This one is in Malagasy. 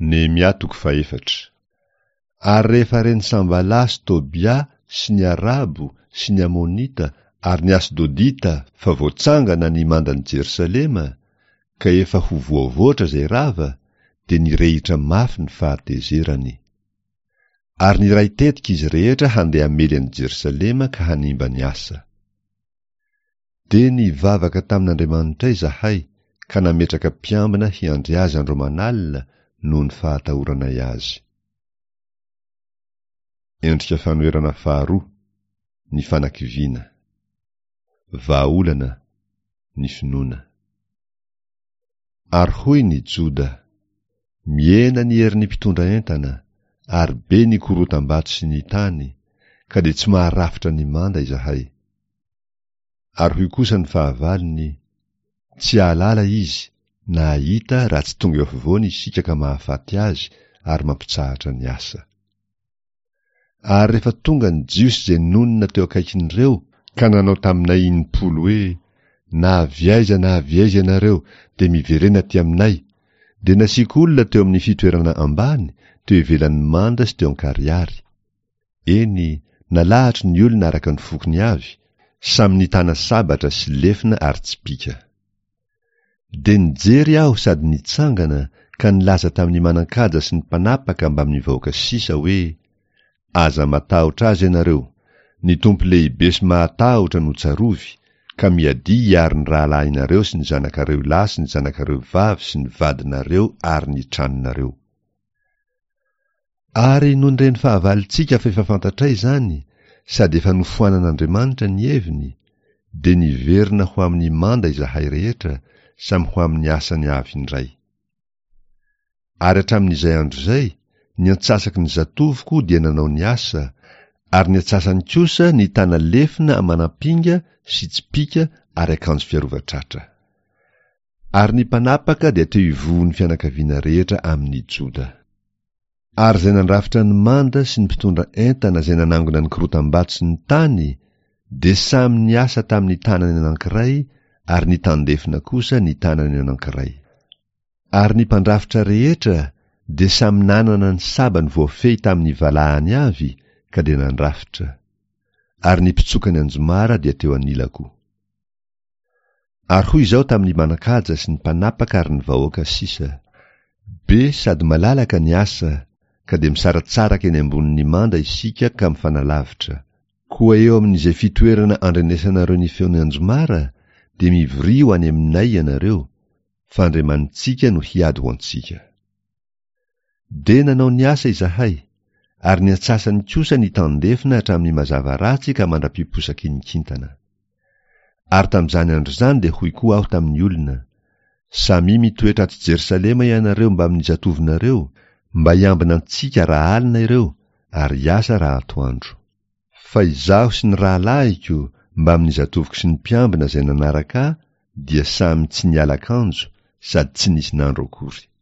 Nehemia toko fahefatra. Ary rehefa ren'i Sambalà sy Tobia sy ny Arabo sy ny Amonita ary ny Asdodita fa voatsangana ny mandan'i Jerosalema, ka efa ho voavoatra izay rava, dia nirehitra mafy ny fahatezerany. Ary niray tetika izy rehetra handeha hamely an'i Jerosalema ka hanimba ny asa. Dia nivavaka tamin'Andriamanitray izahay ka nametraka mpiambina hiandry azy andro aman'alina noho ny fahatahoranay azy. Endrika fanoherana faharoa, ny fanakiviana. Vahaolana, ny finoana. Ary hoy ny Joda, Mihena ny herin'ny mpitondra entana, ary be ny korotam-bato sy ny tany, ka dia tsy maharafitra ny manda izahay. Ary hoy kosa ny fahavalony, Tsy hahalala izy, na hahita raha tsy tonga eo afovoany isika ka mahafaty azy ary mampitsahatra ny asa. Ary rehefa tonga ny Jiosy izay nonina teo akaikin'ireo ka nanao taminay impolo hoe, Na avy aiza na avy aiza ianareo, dia miverena aty aminay, dia nasiako olona teo amin'ny fitoerana ambany, teo ivelan'ny manda sy teo an-karihary. Eny, nalahatro ny olona araka ny fokony avy, samy nitana sabatra sy lefona ary tsipìka. Dia nijery aho sady nitsangana ka nilaza tamin'ny manan-kaja sy ny mpanapaka mbamin'ny vahoaka sisa hoe, Aza matahotra azy ianareo, ny Tompo lehibe sy mahatahotra no tsarovy, ka miadia hiaro ny rahalahinareo sy ny zanakareo lahy sy ny zanakareo vavy sy ny vadinareo ary ny tranonareo. Ary nony ren'ny fahavalontsika fa efa fantatray izany, sady efa nofoanan'Andriamanitra ny heviny, dia niverina ho amin'ny manda izahay rehetra, samy ho amin'ny asany avy indray. Ary hatramin'izay andro izay, ny antsasaky ny zatovoko dia nanao ny asa, ary ny antsasany kosa nitana lefona aman'ampinga sy tsipìka ary akanjo fiarovan-tratra. Ary ny mpanapaka dia teo ivohon'ny fianakaviana rehetra amin'ny Joda. Ary izay nandrafitra ny manda sy ny mpitondra entana izay nanangona ny korotam-bato sy ny tany dia samy niasa tamin'ny tanany anankiray ary ny tandefona kosa ny tanany anankiray. Ary ny mpandrafitra rehetra dia samy nanana ny sabany voafehy tamin'ny valahany avy ka dia nandrafitra. Ary ny mpitsoka ny anjomara dia teo anilako. Ary hoy izaho tamin'ny manan-kaja sy ny mpanapaka ary ny vahoaka sisa, Be sady malalaka ny asa, ka dia misaratsaraka eny ambonin'ny manda isika ka mifanalavitra. Koa eo amin'izay fitoerana andrenesanareo ny feon'ny anjomara, dia mivoria ho any aminay ianareo, fa Andriamanitsika no hiady ho antsika. Dia nanao ny asa izahay, ary ny antsasany kosa nitandefona hatramin'ny mazava ratsy ka mandra-piposaky ny kintana. Ary tamin'izany andro izany dia hoy koa aho tamin'ny olona, Samia mitoetra ato Jerosalema ianareo mbamin'ny zatovonareo, mba hiambina antsika raha alina ireo, ary hiasa raha atoandro. Fa izaho sy ny rahalahiko mbamin'ny zatovoko sy ny mpiambina izay nanaraka ahy dia samy tsy niala akanjo sady tsy nisy nandro akory.